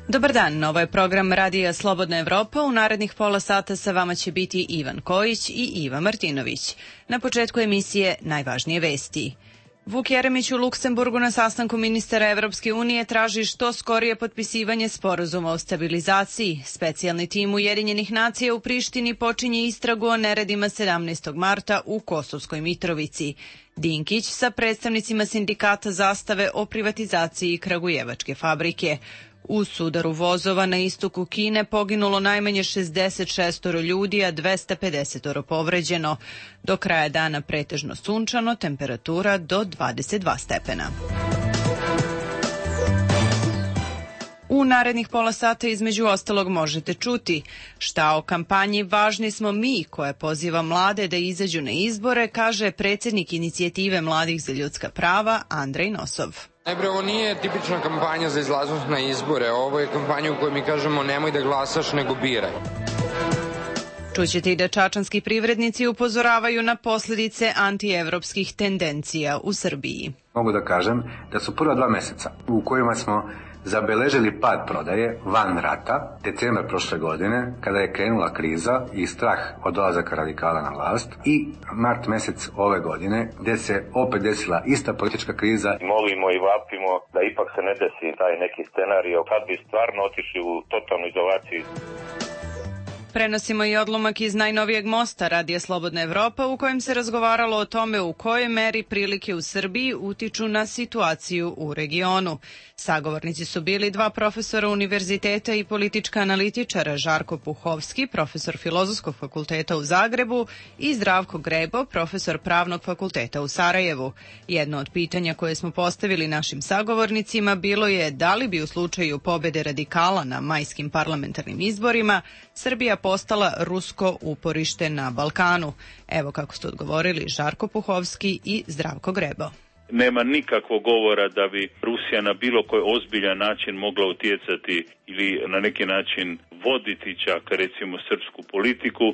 Dobar dan, ovo je program Radija Slobodna Evropa. U narednih pola sata sa vama će biti Ivan Kojić i Iva Martinović. Na početku emisije najvažnije vesti. Vuk Jeremić u Luksemburgu na sastanku ministara Evropske unije traži što skorije potpisivanje sporazuma o stabilizaciji. Specijalni tim Ujedinjenih nacija u Prištini počinje istragu o neredima 17. marta u Kosovskoj Mitrovici. Dinkić sa predstavnicima sindikata zastave o privatizaciji kragujevačke fabrike. U sudaru vozova na istoku Kine poginulo najmanje 66 ljudi, a 250 povređeno. Do kraja dana pretežno sunčano, temperatura do 22 stepena. U narednih pola sata između ostalog možete čuti šta o kampanji Važni smo mi, koja poziva mlade da izađu na izbore, kaže predsjednik inicijative mladih za ljudska prava Andrej Nosov. Najprej, ovo nije tipična kampanja za izlaznost na izbore, ovo je kampanja u kojoj mi kažemo nemoj da glasaš, nego biraj. Čućete i da čačanski privrednici upozoravaju na posljedice antievropskih tendencija u Srbiji. Mogu da kažem da su prva 2 meseca u kojima smo zabeležili pad prodaje van rata, decembar prošle godine, kada je krenula kriza i strah od dolazaka radikala na vlast, i mart mesec ove godine, gde se opet desila ista politička kriza. Molimo i vapimo da ipak se ne desi taj neki scenario kad bi stvarno otišli u totalnu izolaciju. Prenosimo i odlomak iz najnovijeg mosta Radija Slobodna Evropa u kojem se razgovaralo o tome u kojoj meri prilike u Srbiji utiču na situaciju u regionu. Sagovornici su bili 2 profesora univerziteta i politička analitičara, Žarko Puhovski, profesor Filozofskog fakulteta u Zagrebu, i Zdravko Grebo, profesor Pravnog fakulteta u Sarajevu. Jedno od pitanja koje smo postavili našim sagovornicima bilo je da li bi u slučaju pobede radikala na majskim parlamentarnim izborima Srbija postala rusko uporište na Balkanu. Evo kako su odgovorili Žarko Puhovski i Zdravko Grebo. Nema nikakvog govora da bi Rusija na bilo koji ozbiljan način mogla utjecati ili na neki način voditi čak recimo srpsku politiku.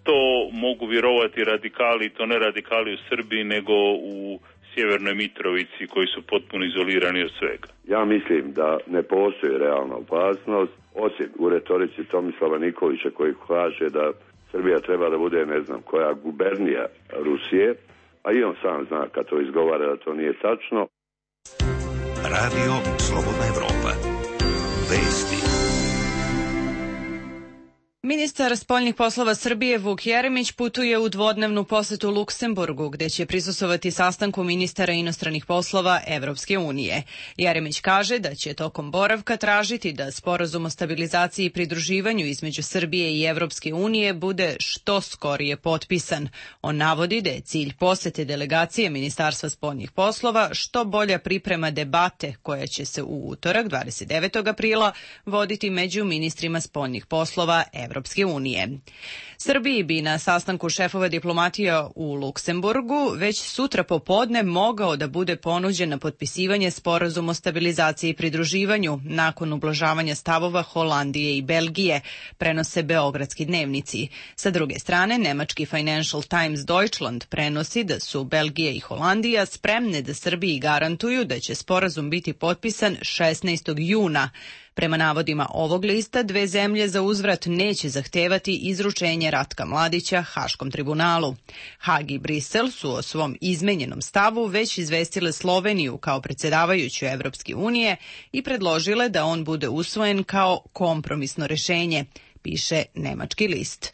To mogu vjerovati radikali, to ne radikali u Srbiji nego u Sjevernoj Mitrovici koji su potpuno izolirani od svega. Ja mislim da ne postoji realna opasnost, osim u retorici Tomislava Nikolića koji kaže da Srbija treba da bude ne znam koja gubernija Rusije, a i on sam zna kad to izgovara da to nije tačno. Radio Slobodna Evropa. Vesti. Ministar spoljnih poslova Srbije Vuk Jeremić putuje u dvodnevnu posetu Luksemburgu, gde će prisustvovati sastanku ministara inostranih poslova Evropske unije. Jeremić kaže da će tokom boravka tražiti da sporazum o stabilizaciji i pridruživanju između Srbije i Evropske unije bude što skorije potpisan. On navodi da je cilj posete delegacije Ministarstva spoljnih poslova što bolja priprema debate koja će se u utorak 29. aprila voditi među ministrima spoljnih poslova Evropske unije. Srbiji bi na sastanku šefova diplomatija u Luksemburgu već sutra popodne mogao da bude ponuđen na potpisivanje sporazum o stabilizaciji i pridruživanju nakon ublažavanja stavova Holandije i Belgije, prenose beogradski dnevnici. Sa druge strane, nemački Financial Times Deutschland prenosi da su Belgija i Holandija spremne da Srbiji garantuju da će sporazum biti potpisan 16. juna. Prema navodima ovog lista, 2 zemlje za uzvrat neće zahtevati izručenje Ratka Mladića Haškom tribunalu. Hag i Brisel su o svom izmenjenom stavu već izvestile Sloveniju kao predsjedavajuću Evropske unije i predložile da on bude usvojen kao kompromisno rešenje, piše nemački list.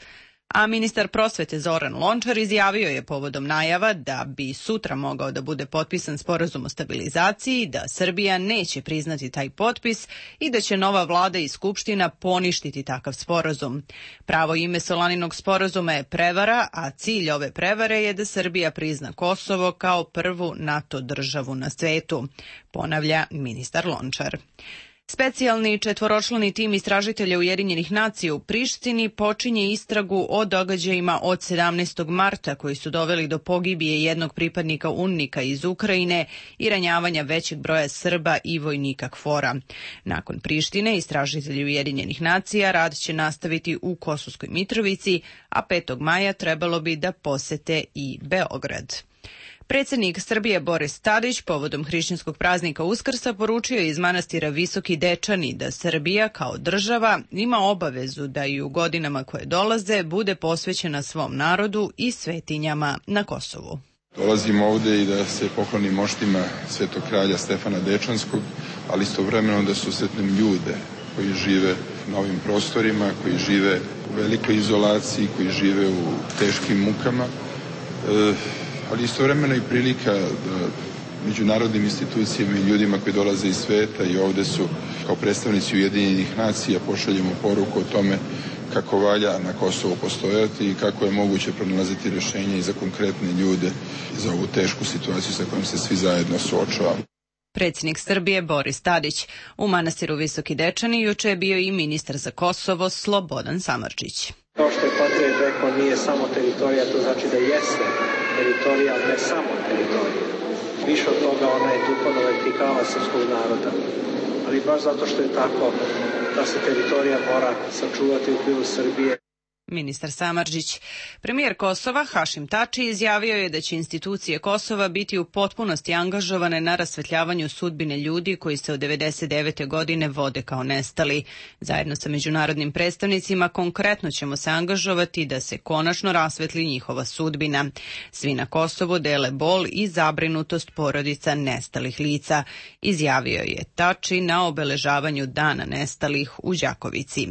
A ministar prosvete Zoran Lončar izjavio je povodom najava da bi sutra mogao da bude potpisan sporazum o stabilizaciji, da Srbija neće priznati taj potpis i da će nova vlada i skupština poništiti takav sporazum. Pravo ime Solaninog sporazuma je prevara, a cilj ove prevare je da Srbija prizna Kosovo kao prvu NATO državu na svetu, ponavlja ministar Lončar. Specijalni 4-člani tim istražitelja Ujedinjenih nacija u Prištini počinje istragu o događajima od 17. marta koji su doveli do pogibije jednog pripadnika UNMIK-a iz Ukrajine i ranjavanja većeg broja Srba i vojnika KFOR-a. Nakon Prištine, istražitelji Ujedinjenih nacija rad će nastaviti u Kosovskoj Mitrovici, a 5. maja trebalo bi da posete i Beograd. Predsjednik Srbije Boris Tadić povodom hrišćanskog praznika Uskrsa poručio iz manastira Visoki Dečani da Srbija kao država ima obavezu da i u godinama koje dolaze bude posvećena svom narodu i svetinjama na Kosovu. Dolazim ovde i da se poklonim moštima svetog kralja Stefana Dečanskog, ali istovremeno da susretnem ljude koji žive na ovim prostorima, koji žive u velikoj izolaciji, koji žive u teškim mukama, ali istovremeno i prilika da međunarodnim institucijama i ljudima koji dolaze iz sveta i ovde su kao predstavnici Ujedinjenih nacija pošaljemo poruku o tome kako valja na Kosovu postojati i kako je moguće pronalaziti rješenje i za konkretne ljude i za ovu tešku situaciju sa kojom se svi zajedno suočavamo. Predsjednik Srbije Boris Tadić. U manastiru Visoki Dečani juče je bio i ministar za Kosovo Slobodan Samardžić. Kao što je Patrijarh rekao, nije samo teritorija, to znači da jeste teritorija, ali ne samo teritorija. Više od toga, ona je duhovna vertikala srpskog naroda. Ali baš zato što je tako, ta se teritorija mora sačuvati u okviru Srbije. Ministar Samardžić. Premijer Kosova Hašim Tači izjavio je da će institucije Kosova biti u potpunosti angažovane na rasvetljavanju sudbine ljudi koji se od 1999. godine vode kao nestali. Zajedno sa međunarodnim predstavnicima konkretno ćemo se angažovati da se konačno rasvetli njihova sudbina. Svi na Kosovu dele bol i zabrinutost porodica nestalih lica, izjavio je Tači na obeležavanju Dana nestalih u Đakovici.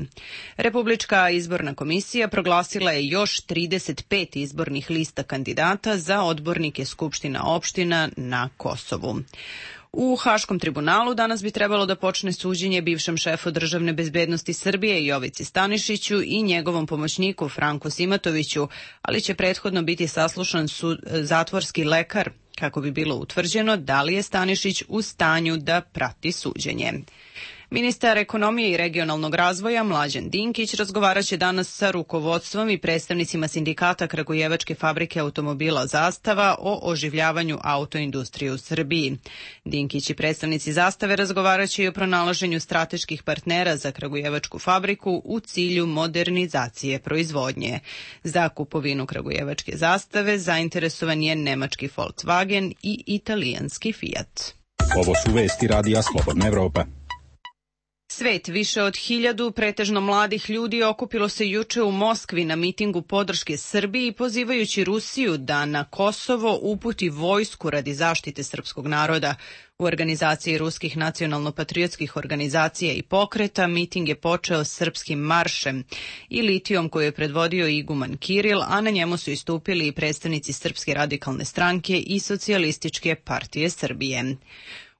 Republička izborna komisija proglasila je još 35 izbornih lista kandidata za odbornike skupština opština na Kosovu. U Haškom tribunalu danas bi trebalo da počne suđenje bivšem šefu državne bezbednosti Srbije Jovici Stanišiću i njegovom pomoćniku Franku Simatoviću, ali će prethodno biti saslušan zatvorski lekar kako bi bilo utvrđeno da li je Stanišić u stanju da prati suđenje. Ministar ekonomije i regionalnog razvoja Mlađan Dinkić razgovaraće danas sa rukovodstvom i predstavnicima sindikata Kragujevačke fabrike automobila Zastava o oživljavanju autoindustrije u Srbiji. Dinkić i predstavnici Zastave razgovaraće i o pronalaženju strateških partnera za Kragujevačku fabriku u cilju modernizacije proizvodnje. Za kupovinu Kragujevačke Zastave zainteresovan je nemački Volkswagen i italijanski Fiat. Ovo su vesti radija Slobodna Evropa. Svet, više od 1000 pretežno mladih ljudi okupilo se juče u Moskvi na mitingu podrške Srbiji pozivajući Rusiju da na Kosovo uputi vojsku radi zaštite srpskog naroda. U organizaciji ruskih nacionalno-patriotskih organizacija i pokreta miting je počeo srpskim maršem i litijom koju je predvodio iguman Kiril, a na njemu su istupili i predstavnici Srpske radikalne stranke i Socijalističke partije Srbije.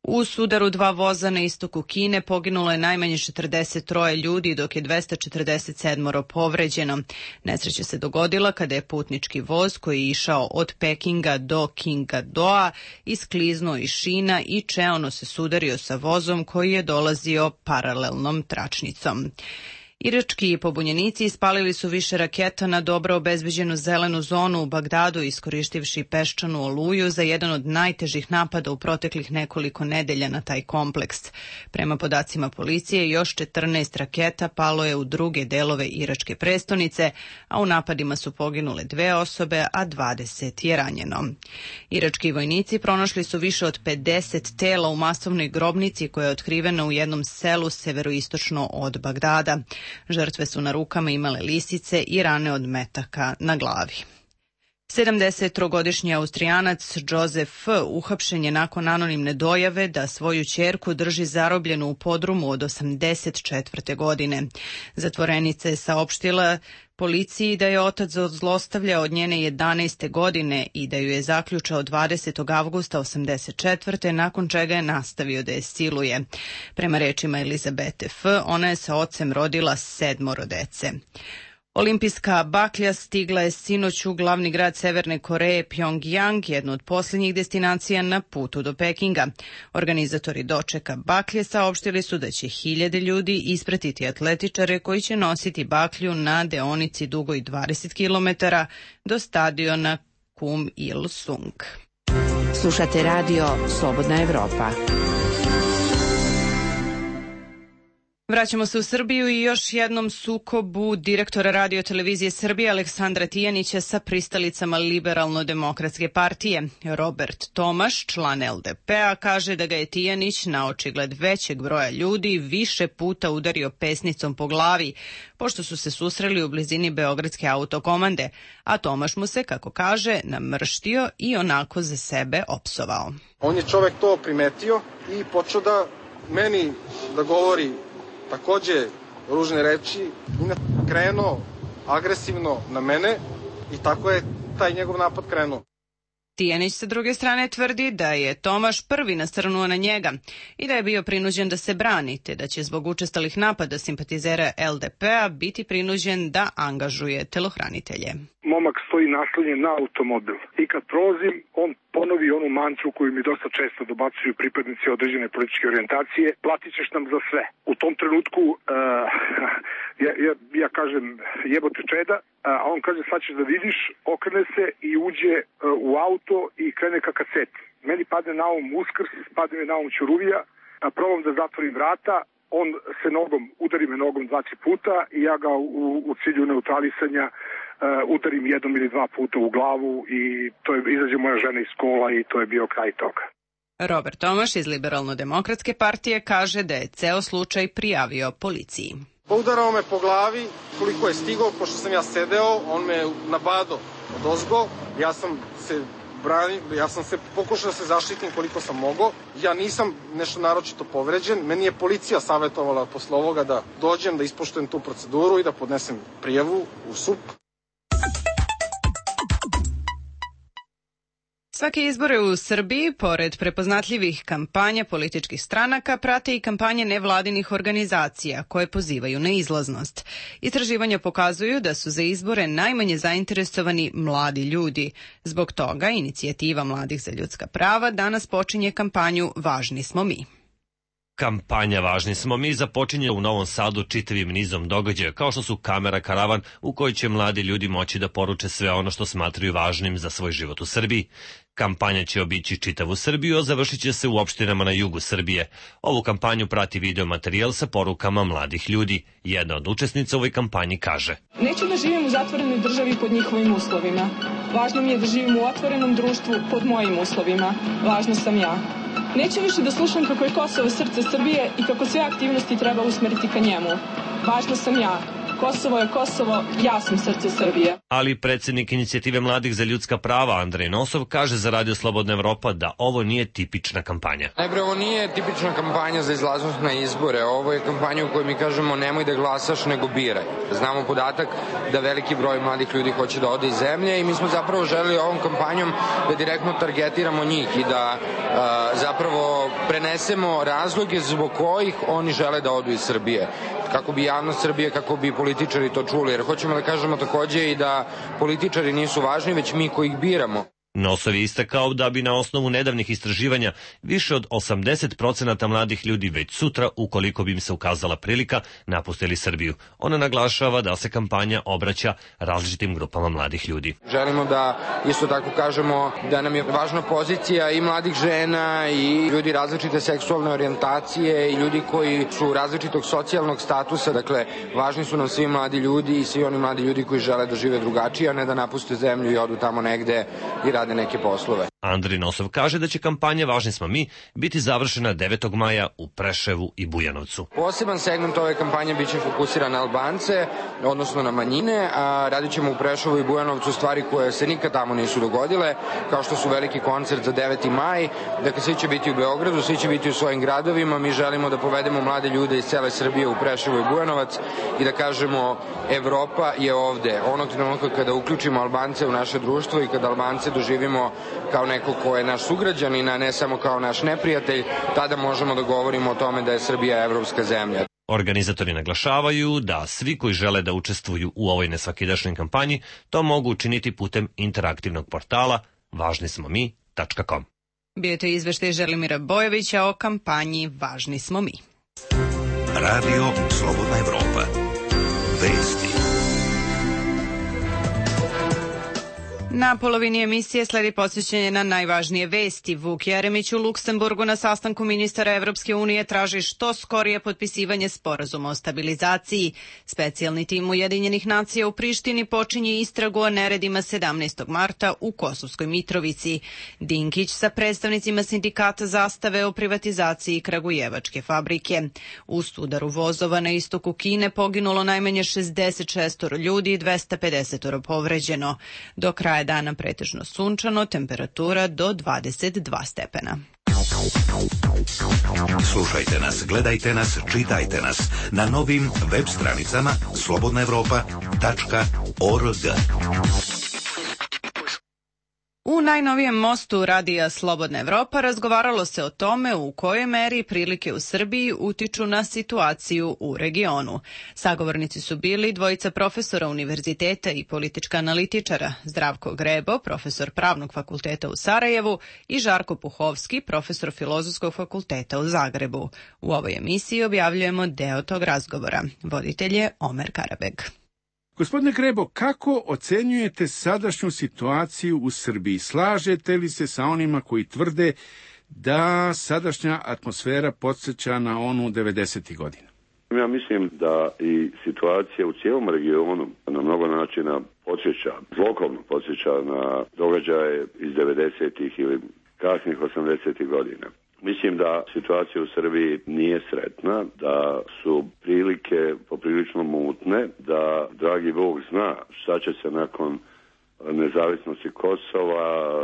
U sudaru 2 voza na istoku Kine poginulo je najmanje 43 ljudi, dok je 247 povređeno. Nesreća se dogodila kada je putnički voz koji je išao od Pekinga do Qingdaoa iskliznuo iz šina i čeono se sudario sa vozom koji je dolazio paralelnom tračnicom. Irački pobunjenici ispalili su više raketa na dobro obezbeđenu zelenu zonu u Bagdadu, iskoristivši peščanu oluju za jedan od najtežih napada u proteklih nekoliko nedelja na taj kompleks. Prema podacima policije, još 14 raketa palo je u druge delove iračke prestonice, a u napadima su poginule 2 osobe, a 20 je ranjeno. Irački vojnici pronašli su više od 50 tela u masovnoj grobnici koja je otkrivena u jednom selu severoistočno od Bagdada. Žrtve su na rukama imale lisice i rane od metaka na glavi. 73-godišnji Austrijanac Josef F. uhapšen je nakon anonimne dojave da svoju ćerku drži zarobljenu u podrumu od 84. godine. Zatvorenica je saopštila policiji da je otac zlostavljao od njene 11. godine i da ju je zaključao 20. avgusta 84. nakon čega je nastavio da je siluje. Prema rečima Elizabete F., ona je sa ocem rodila 7 dece. Olimpijska baklja stigla je sinoć u glavni grad Severne Koreje, Pjongjang, jednu od posljednjih destinacija na putu do Pekinga. Organizatori dočeka baklje saopštili su da će 1000 ljudi ispratiti atletičare koji će nositi baklju na deonici dugoj 20 km do stadiona Kum Il Sung. Slušate radio Slobodna Evropa. Vraćamo se u Srbiju i još jednom sukobu direktora Radio televizije Srbije Aleksandra Tijanića sa pristalicama Liberalno-demokratske partije. Robert Tomaš, član LDP-a, kaže da ga je Tijanić na očigled većeg broja ljudi više puta udario pesnicom po glavi, pošto su se susreli u blizini Beogradske autokomande, a Tomaš mu se, kako kaže, namrštio i onako za sebe opsovao. On je čovek to primetio i počeo da meni da govori takođe ružne reči i krenuo agresivno na mene i tako je taj njegov napad krenuo. Tijanić sa druge strane tvrdi da je Tomaš prvi nasrnuo na njega i da je bio prinuđen da se brani, te da će zbog učestalih napada simpatizera LDP-a biti prinuđen da angažuje telohranitelje. Momak stoji naslonjen na automobil i kad prolazim, on ponovi onu mantru koju mi dosta često dobacuju pripadnici određene političke orijentacije, platit ćeš nam za sve. U tom trenutku ja kažem jebote čeda, a on kaže sad ćeš da vidiš, okrene se i uđe u auto i krene ka kaceti. Meni padne na um Uskrs, padne mi na um Ćuruvija, probam da zatvorim vrata, on se udari me nogom 2-3 puta i ja ga u cilju neutralisanja udarim jednom ili 2 puta u glavu i to je izađe moja žena iz kola i to je bio kraj toga. Robert Tomaš iz Liberalno-demokratske partije kaže da je ceo slučaj prijavio policiji. Udarao me po glavi, koliko je stigao, pošto sam ja sedeo, on me nabadao odozgo, ja sam se pokušao da se zaštitim koliko sam mogao. Ja nisam nešto naročito povređen. Meni je policija savjetovala posle ovoga da dođem, da ispoštujem tu proceduru i da podnesem prijavu u SUP. Svake izbore u Srbiji, pored prepoznatljivih kampanja političkih stranaka, prate i kampanje nevladinih organizacija koje pozivaju na izlaznost. Istraživanja pokazuju da su za izbore najmanje zainteresovani mladi ljudi. Zbog toga Inicijativa mladih za ljudska prava danas počinje kampanju Važni smo mi. Kampanja Važni smo mi započinje u Novom Sadu čitavim nizom događaja, kao što su kamera karavan u kojoj će mladi ljudi moći da poruče sve ono što smatraju važnim za svoj život u Srbiji. Kampanja će obići čitavu Srbiju, a završit će se u opštinama na jugu Srbije. Ovu kampanju prati video materijal sa porukama mladih ljudi. Jedna od učesnica u ovoj kampanji kaže: Neću da živim u zatvorenoj državi pod njihovim uslovima. Važno mi je da živim u otvorenom društvu pod mojim uslovima. Važna sam ja. Neću više da slušam kako je Kosovo srce Srbije i kako sve aktivnosti treba usmeriti ka njemu. Važna sam ja. Kosovo je Kosovo, ja sam srce Srbije. Ali predsjednik Inicijative mladih za ljudska prava Andrej Nosov kaže za Radio Slobodna Evropa da ovo nije tipična kampanja. Najprej, ovo nije tipična kampanja za izlaznost na izbore. Ovo je kampanja u kojoj mi kažemo nemoj da glasaš, nego biraj. Znamo podatak da veliki broj mladih ljudi hoće da ode iz zemlje i mi smo zapravo želeli ovom kampanjom da direktno targetiramo njih i da zapravo prenesemo razloge zbog kojih oni žele da odu iz Srbije. Kako bi javnost Srbije, kako bi političari to čuli, jer hoćemo da kažemo takođe i da političari nisu važni, već mi koji ih biramo. Nosov je istakao da bi na osnovu nedavnih istraživanja više od 80% mladih ljudi već sutra, ukoliko bi im se ukazala prilika, napustili Srbiju. Ona naglašava da se kampanja obraća različitim grupama mladih ljudi. Želimo da isto tako kažemo da nam je važna pozicija i mladih žena i ljudi različite seksualne orijentacije i ljudi koji su različitog socijalnog statusa. Dakle, važni su nam svi mladi ljudi i svi oni mladi ljudi koji žele da žive drugačije, a ne da napuste zemlju i odu tamo negde i rade neke poslove. Andrej Nosov kaže da će kampanja Važni smo mi biti završena 9. maja u Preševu i Bujanovcu. Poseban segment ove kampanje biće fokusiran na Albance, odnosno na manjine, a radit ćemo u Preševu i Bujanovcu stvari koje se nikad tamo nisu dogodile, kao što su veliki koncert za 9. maj, dakle svi će biti u Beogradu, svi će biti u svojim gradovima, mi želimo da povedemo mlade ljude iz cele Srbije u Preševu i Bujanovac i da kažemo Evropa je ovde. Onog trenutka kada uključimo Albance u naše društvo i kada Albance doživimo kao neko ko je naš sugrađanin, a ne samo kao naš neprijatelj, tada možemo da govorimo o tome da je Srbija evropska zemlja. Organizatori naglašavaju da svi koji žele da učestvuju u ovoj nesvakidašnjoj kampanji to mogu učiniti putem interaktivnog portala važnismomi.com. Bio je to izveštaj Želimira Bojovića o kampanji Važni smo mi. Radio Slobodna Evropa. Vesti. Na polovini emisije sledi podsjećanje na najvažnije vesti. Vuk Jeremić u Luksemburgu na sastanku ministara Evropske unije traži što skorije potpisivanje sporazuma o stabilizaciji. Specijalni tim Ujedinjenih nacija u Prištini počinje istragu o neredima 17. marta u Kosovskoj Mitrovici. Dinkić sa predstavnicima sindikata zastave o privatizaciji kragujevačke fabrike. U sudaru vozova na istoku Kine poginulo najmanje 66 ljudi i 250 povređeno. Do kraja dana pretežno sunčano, temperatura do 22 stepena. Slušajte nas, gledajte nas, čitajte nas na novim web stranicama slobodnaevropa.org. U najnovijem mostu radija Slobodna Evropa razgovaralo se o tome u kojoj meri prilike u Srbiji utiču na situaciju u regionu. Sagovornici su bili dvojica profesora univerziteta i politička analitičara, Zdravko Grebo, profesor Pravnog fakulteta u Sarajevu, i Žarko Puhovski, profesor Filozofskog fakulteta u Zagrebu. U ovoj emisiji objavljujemo deo tog razgovora. Voditelj je Omer Karabeg. Gospodine Grebo, kako ocenjujete sadašnju situaciju u Srbiji? Slažete li se sa onima koji tvrde da sadašnja atmosfera podsjeća na onu 90. godina? Ja mislim da i situacija u cijelom regionu na mnogo načina podsjeća, zlokovno podsjeća na događaje iz 90. ili kasnih 80. godina. Mislim da situacija u Srbiji nije sretna, da su prilike poprilično mutne, da dragi Bog zna šta će se nakon nezavisnosti Kosova,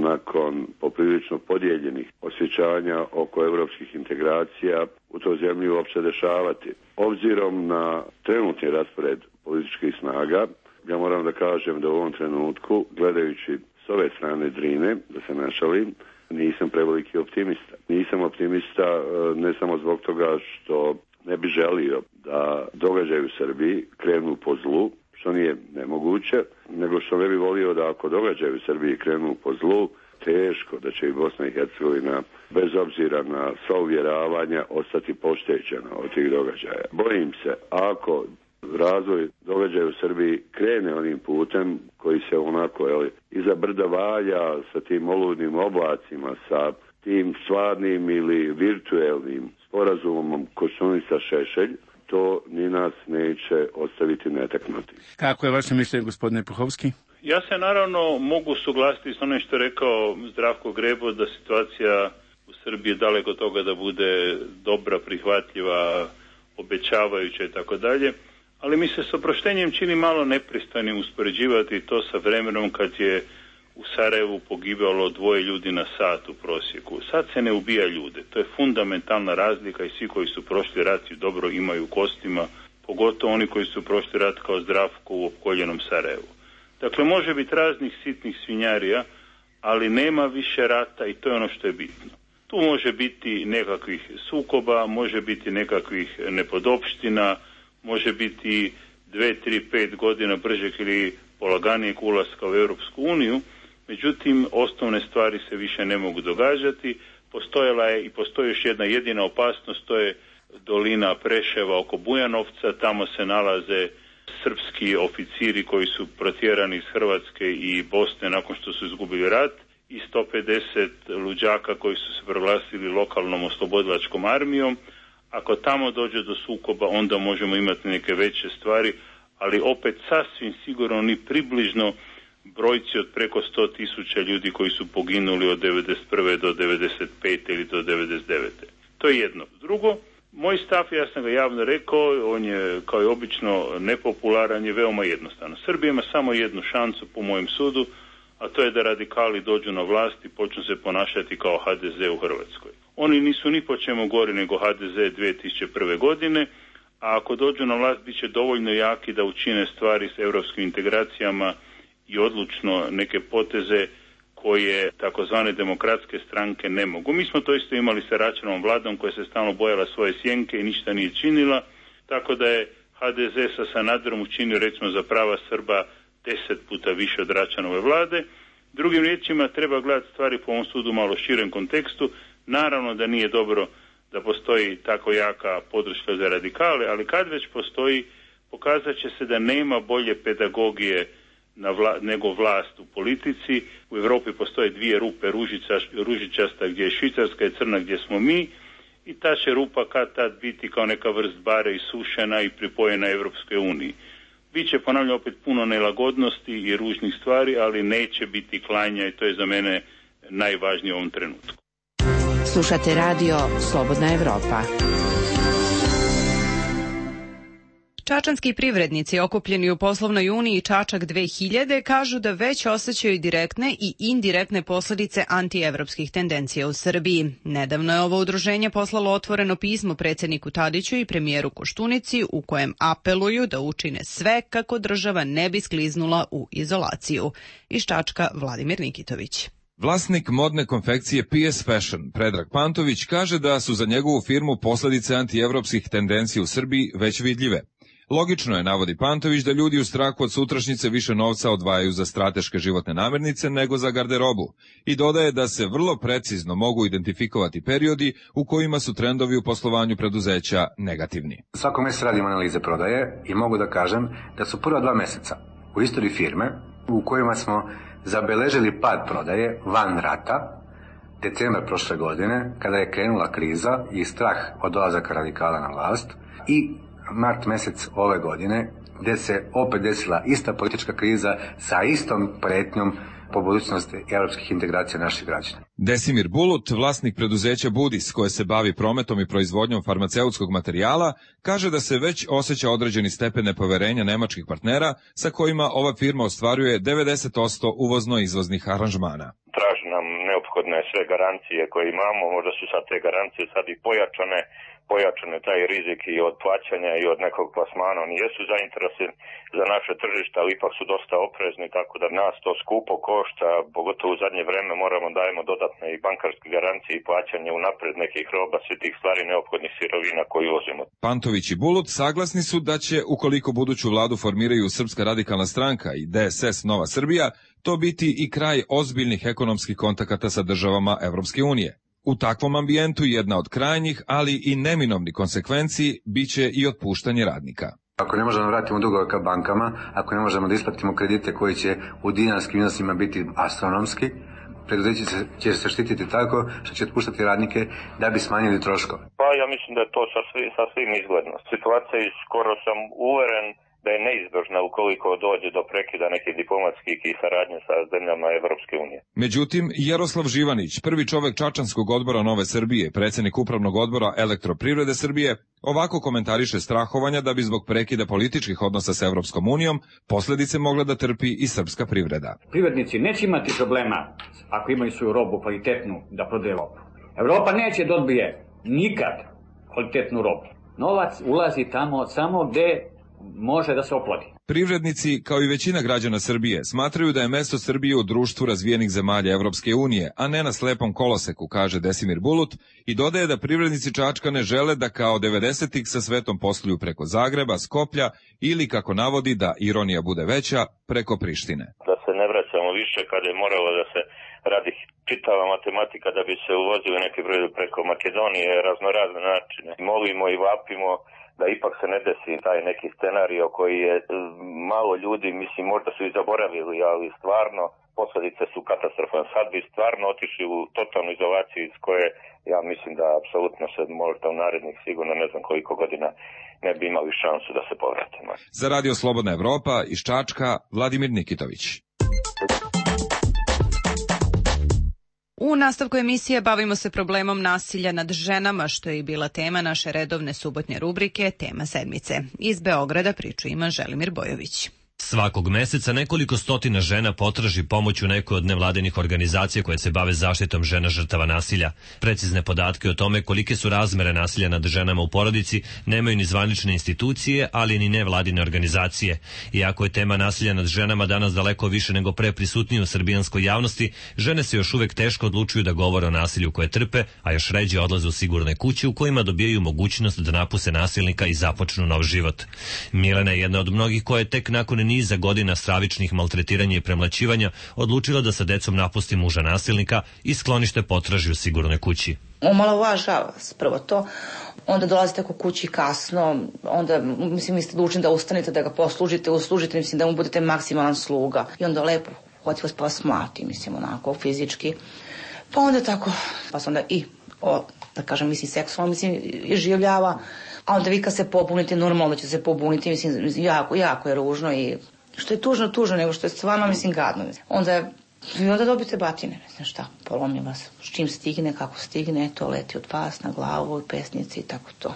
nakon poprilično podijeljenih osjećanja oko europskih integracija u toj zemlji uopće dešavati. Obzirom na trenutni raspored političkih snaga, ja moram da kažem da u ovom trenutku, gledajući s ove strane Drine, da se ne šalim, nisam preveliki optimista. Nisam optimista ne samo zbog toga što ne bi želio da događaji u Srbiji krenu po zlu, što nije nemoguće, nego što ne bi volio da ako događaji u Srbiji krenu po zlu, teško da će i Bosna i Hercegovina, bez obzira na sva uvjeravanja, ostati poštećena od tih događaja. Bojim se, ako razvoj događaja u Srbiji krene onim putem koji se onako iza brda valja sa tim oludnim oblacima, sa tim stvarnim ili virtuelnim sporazumom Koštunica Šešelj, to ni nas neće ostaviti netaknuti. Kako je vaše mišljenje, gospodine Puhovski? Ja se naravno mogu suglasiti s onim što je rekao Zdravko Grebo, da situacija u Srbiji je daleko od toga da bude dobra, prihvatljiva, obećavajuća i tako dalje. Ali mi se s oproštenjem čini malo nepristojnim uspoređivati to sa vremenom kad je u Sarajevu pogibalo 2 ljudi na sat u prosjeku. Sad se ne ubija ljude. To je fundamentalna razlika i svi koji su prošli rat dobro imaju u kostima, pogotovo oni koji su prošli rat kao Zdravko u opkoljenom Sarajevu. Dakle, može biti raznih sitnih svinjarija, ali nema više rata i to je ono što je bitno. Tu može biti nekakvih sukoba, može biti nekakvih nepodopština, može biti 2, 3, 5 godina bržeg ili polaganijeg ulaska u Europsku uniju, međutim osnovne stvari se više ne mogu događati. Postojala je i postoji još jedna jedina opasnost, to je dolina Preševa oko Bujanovca, tamo se nalaze srpski oficiri koji su protjerani iz Hrvatske i Bosne nakon što su izgubili rat i 150 luđaka koji su se proglasili lokalnom oslobodilačkom armijom. Ako tamo dođe do sukoba, onda možemo imati neke veće stvari, ali opet sasvim sigurno ni približno brojci od preko 100.000 ljudi koji su poginuli od 1991. do 1995. ili do 1999. To je jedno. Drugo, moj stav, ja sam ga javno rekao, on je kao i obično nepopularan, je veoma jednostavno. Srbija ima samo jednu šansu po mojem sudu, a to je da radikali dođu na vlast i počnu se ponašati kao HDZ u Hrvatskoj. Oni nisu ni po čemu gori nego HDZ 2001. godine, a ako dođu na vlast bit će dovoljno jaki da učine stvari s europskim integracijama i odlučno neke poteze koje takozvane demokratske stranke ne mogu. Mi smo to isto imali sa Račanovom vladom koja se stalno bojala svoje sjenke i ništa nije činila, tako da je HDZ sa Sanaderom učinio recimo za prava Srba 10 puta više od Račanove vlade. Drugim riječima treba gledati stvari po ovom sudu malo širem kontekstu. Naravno da nije dobro da postoji tako jaka podrška za radikale, ali kad već postoji, pokazat će se da nema bolje pedagogije nego vlast u politici. U Europi postoje dvije rupe, ružičasta gdje je Švicarska i crna gdje smo mi, i ta će rupa kad tad biti kao neka vrst bare isušena i pripojena Evropskoj uniji. Biće, ponavljam, opet puno nelagodnosti i ružnih stvari, ali neće biti klanja, i to je za mene najvažnije u ovom trenutku. Slušate radio Slobodna Evropa. Čačanski privrednici okupljeni u poslovnoj uniji Čačak 2000 kažu da već osjećaju direktne i indirektne posljedice antievropskih tendencija u Srbiji. Nedavno je ovo udruženje poslalo otvoreno pismo predsjedniku Tadiću i premijeru Koštunici u kojem apeluju da učine sve kako država ne bi skliznula u izolaciju. Iz Čačka Vladimir Nikitović. Vlasnik modne konfekcije PS Fashion, Predrag Pantović, kaže da su za njegovu firmu posljedice antievropskih tendencija u Srbiji već vidljive. Logično je, navodi Pantović, da ljudi u strahu od sutrašnjice više novca odvajaju za strateške životne namirnice nego za garderobu, i dodaje da se vrlo precizno mogu identifikovati periodi u kojima su trendovi u poslovanju preduzeća negativni. Svako mjesec radimo analize prodaje i mogu da kažem da su prva 2 mjeseca u istoriji firme u kojima smo zabeležili pad prodaje van rata, decembar prošle godine, kada je krenula kriza i strah od dolazaka radikala na vlast, i mart mjesec ove godine, gdje se opet desila ista politička kriza sa istom pretnjom po budućnosti europskih integracija naših građana. Desimir Bulut, vlasnik preduzeća Budis, koje se bavi prometom i proizvodnjom farmaceutskog materijala, kaže da se već osjeća određeni stepen nepoverenja nemačkih partnera sa kojima ova firma ostvaruje 90% uvozno-izvoznih aranžmana. Traži nam neophodne sve garancije koje imamo, možda su sad te garancije sad i pojačane taj rizik i od plaćanja i od nekog plasmana. Oni jesu zainteresirani za naše tržište, ali ipak su dosta oprezni, tako da nas to skupo košta, pogotovo u zadnje vreme moramo dajemo dodatne i bankarske garancije i plaćanje unapred nekih roba, svi tih stvari neophodnih sirovina koji uvozimo. Pantović i Bulut saglasni su da će, ukoliko buduću vladu formiraju Srpska radikalna stranka i DSS Nova Srbija, to biti i kraj ozbiljnih ekonomskih kontakata sa državama Evropske unije. U takvom ambijentu jedna od krajnjih, ali i neminovnih konsekvenciji biće i otpuštanje radnika. Ako ne možemo vratiti dugove ka bankama, ako ne možemo da isplatimo kredite koji će u dinarskim iznosima biti astronomski, preduzeće će se štititi tako što će otpuštati radnike da bi smanjili troškove. Pa ja mislim da je to sasvim izgledno. Situacija je, skoro sam uveren da je neizbježna ukoliko dođe do prekida nekih diplomatskih i saradnje sa zemljama Evropske unije. Međutim, Jaroslav Živanić, prvi čovek Čačanskog odbora Nove Srbije, predsjednik upravnog odbora Elektroprivrede Srbije, ovako komentariše strahovanja da bi zbog prekida političkih odnosa sa Evropskom unijom posljedice mogla da trpi i srpska privreda. Privrednici neće imati problema ako imaju svoju robu kvalitetnu da prodaje robu. Evropa neće da odbije nikad kvalitetnu robu. Novac ulazi tamo samo gde može da se oplodi. Privrednici, kao i većina građana Srbije, smatraju da je mesto Srbije u društvu razvijenih zemalja Evropske unije, a ne na slepom koloseku, kaže Desimir Bulut, i dodaje da privrednici Čačka ne žele da kao 90-ih sa svetom posluju preko Zagreba, Skoplja ili, kako navodi, da ironija bude veća, preko Prištine. Da se ne vraćamo više kada je moralo da se radi čitava matematika da bi se uvozili neki broj preko Makedonije, raznorazne načine. Molimo i vapimo da ipak se ne desi taj neki scenario koji je malo ljudi, mislim, možda su i zaboravili, ali stvarno posljedice su katastrofalne. Sad bi stvarno otišli u totalnu izolaciju iz koje ja mislim da apsolutno se možda u narednih sigurno ne znam koliko godina ne bi imali šansu da se povratimo. Za Radio Slobodna Evropa iz Čačka, Vladimir Nikitović. U nastavku emisije bavimo se problemom nasilja nad ženama, što je i bila tema naše redovne subotnje rubrike Tema sedmice. Iz Beograda priču ima Želimir Bojović. Svakog meseca nekoliko stotina žena potraži pomoć u nekoj od nevladinih organizacija koje se bave zaštitom žena žrtava nasilja. Precizne podatke o tome kolike su razmere nasilja nad ženama u porodici nemaju ni zvanične institucije, ali ni nevladine organizacije. Iako je tema nasilja nad ženama danas daleko više nego pre prisutnije u srbijanskoj javnosti, žene se još uvek teško odlučuju da govore o nasilju koje trpe, a još ređe odlaze u sigurne kuće u kojima dobijaju mogućnost da napuste nasilnika i započnu nov život. Milena je jedna od mnogih koja je tek nakon niza godina stravičnih maltretiranja i premlaćivanja odlučila da sa decom napusti muža nasilnika i sklonište potraži u sigurnoj kući. omalovažava vas prvo to, onda dolazite oko kući kasno, onda, mislim, vi ste dužni da ustanete, da ga uslužite, mislim, da mu budete maksimalan sluga. I onda lepo hoti vas pa vas mlati, mislim, onako, fizički. Pa onda tako, pa se onda da kažem, mislim, seksualno, mislim, iživljava. A onda vi kad se pobunite, normalno da će se pobuniti, mislim, jako je ružno i što je tužno, nego što je stvarno, mislim, gadno. Onda dobite batine, ne znam šta, polomi vas, s čim stigne, kako stigne, to leti od vas na glavu, pesnici i tako to.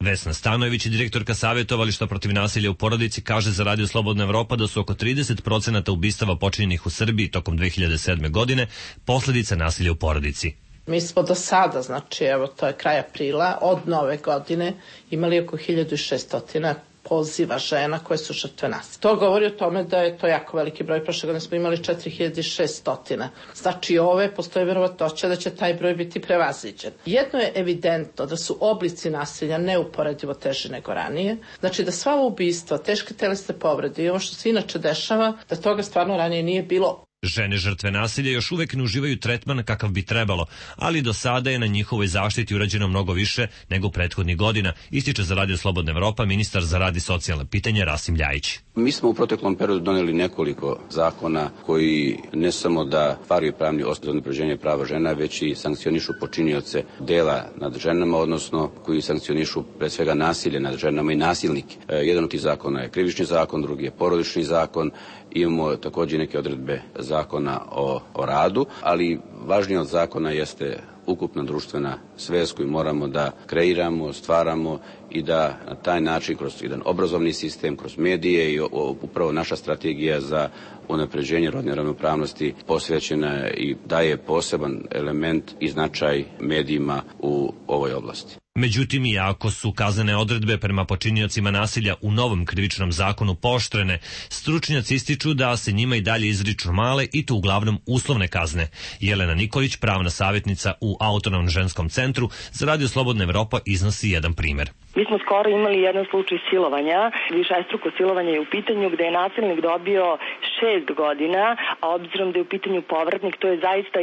Vesna Stanojević, direktorka savjetovališta protiv nasilja u porodici, kaže za Radio Slobodna Evropa da su oko 30% ubistava počinjenih u Srbiji tokom 2007. godine posljedica nasilja u porodici. Mi smo do sada, znači evo to je kraj aprila, od nove godine imali oko 1600 poziva žena koje su žrtve nasilja. To govori o tome da je to jako veliki broj. Prošle godine smo imali 4600. Znači postoje verovatnoća da će taj broj biti prevaziđen. Jedno je evidentno da su oblici nasilja neuporedivo teži nego ranije. Znači da sva ubistva, teške telesne povrede i ovo što se inače dešava, da toga stvarno ranije nije bilo. Žene žrtve nasilja još uvek ne uživaju tretman kakav bi trebalo, ali do sada je na njihovoj zaštiti urađeno mnogo više nego prethodnih godina, ističe za Radio Slobodna Evropa ministar za rad i socijalna pitanja Rasim Ljajić. Mi smo u proteklom periodu doneli nekoliko zakona koji ne samo da stvaraju pravni osnov za unapređenje prava žena, već i sankcionišu počinioce dela nad ženama, odnosno koji sankcionišu pre svega nasilje nad ženama i nasilnike. Jedan od tih zakona je krivični zakon, drugi je porodični zakon. Imamo također neke odredbe zakona o radu, ali važnije od zakona jeste ukupna društvena svest koju moramo da kreiramo, stvaramo i da na taj način kroz jedan obrazovni sistem, kroz medije i upravo naša strategija za unapređenje rodne ravnopravnosti posvećena i daje poseban element i značaj medijima u ovoj oblasti. Međutim, iako su kaznene odredbe prema počiniocima nasilja u novom krivičnom zakonu pooštrene, stručnjaci ističu da se njima i dalje izriču male i to uglavnom uslovne kazne. Jelena Nikolić, pravna savjetnica u Autonomnom ženskom centru, za Radio Slobodna Evropa iznosi jedan primjer. Mi smo skoro imali jedan slučaj silovanja, višestruko silovanje je u pitanju gde je nasilnik dobio 6 godina, a obzirom da je u pitanju povratnik, to je zaista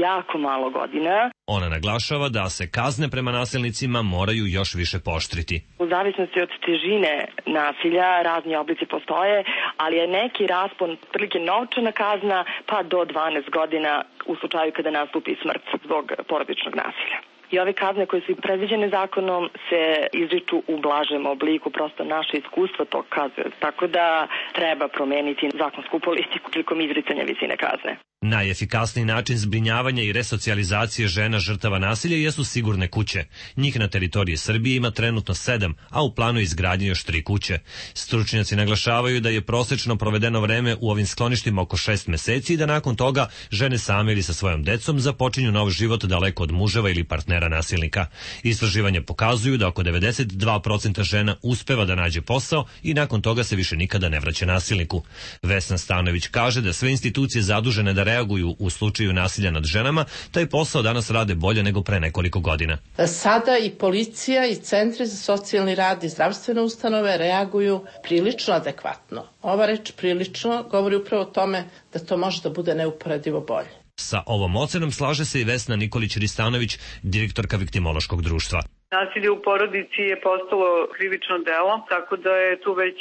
jako malo godina. Ona naglašava da se kazne prema nasilnicima moraju još više pooštriti. U zavisnosti od težine nasilja razni oblici postoje, ali je neki raspon prilike novčana kazna pa do 12 godina u slučaju kada nastupi smrt zbog porodičnog nasilja. I ove kazne koje su predviđene zakonom se izriču u blažem obliku, prosto naše iskustvo to kazuje. Tako da treba promeniti zakonsku politiku prilikom izricanja visine kazne. Najefikasniji način zbrinjavanja i resocijalizacije žena žrtava nasilja jesu sigurne kuće. Njih na teritoriji Srbije ima trenutno 7, a u planu izgradnje još 3 kuće. Stručnjaci naglašavaju da je prosečno provedeno vreme u ovim skloništima oko 6 meseci i da nakon toga žene same ili sa svojom decom započinju nov život daleko od muževa ili partnera nasilnika. Istraživanja pokazuju da oko 92% žena uspeva da nađe posao i nakon toga se više nikada ne vraća nasilniku. Vesna Stanojević kaže da sve institucije zadužene da reaguju u slučaju nasilja nad ženama, taj posao danas rade bolje nego pre nekoliko godina. Sada i policija i centri za socijalni rad i zdravstvene ustanove reaguju prilično adekvatno. Ova reč prilično govori upravo o tome da to može da bude neuporedivo bolje. Sa ovom ocenom slaže se i Vesna Nikolić-Ristanović, direktorka Viktimološkog društva. Nasilje u porodici je postalo krivično delo, tako da je tu već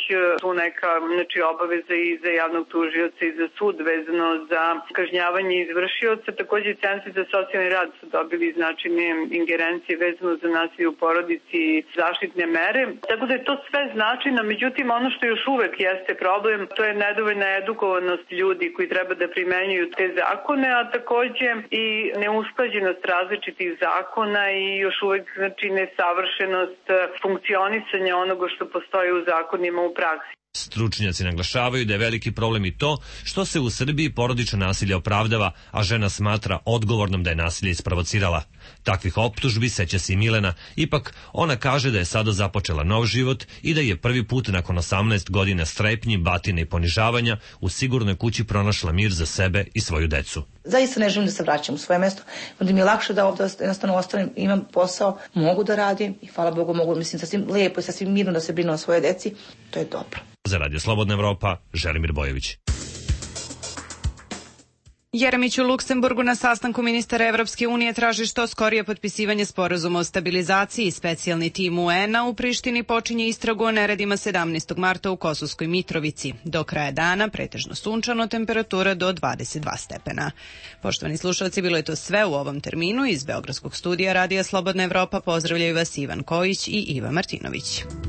neka obaveza i za javnog tužioca i za sud vezano za kažnjavanje izvršioca. Također centri za socijalni rad su dobili značajne ingerencije vezano za nasilje u porodici i zaštitne mere. Tako da je to sve značajno, međutim ono što još uvek jeste problem, to je nedovoljna edukovanost ljudi koji treba da primenjuju te zakone, a također i neusklađenost različitih zakona i još uvek nesavršenost funkcionisanja onoga što postoji u zakonima u praksi. Stručnjaci naglašavaju da je veliki problem i to što se u Srbiji porodično nasilje opravdava, a žena smatra odgovornom da je nasilje isprovocirala. Takvih optužbi seća se i Milena, ipak ona kaže da je sada započela nov život i da je prvi put nakon 18 godina strepnji, batine i ponižavanja u sigurnoj kući pronašla mir za sebe i svoju decu. Zaista ne želim da se vraćam u svoje mesto, onda mi je lakše da ovdje jednostavno ostanem, imam posao, mogu da radim i hvala Bogu mogu, mislim, sasvim lijepo i sasvim mirno da se brinu o svoje deci, to je dobro. Za Radio Slobodna Evropa, Želimir Bojović. Jeremić u Luksemburgu na sastanku ministara Evropske unije traži što skorije potpisivanje sporazuma o stabilizaciji. Specijalni tim UN-a u Prištini počinje istragu o neredima 17. marta u Kosovskoj Mitrovici. Do kraja dana pretežno sunčano, temperatura do 22 stepena. Poštovani slušalci, bilo je to sve u ovom terminu. Iz Beogradskog studija Radija Slobodna Evropa pozdravljaju vas Ivan Kojić i Iva Martinović.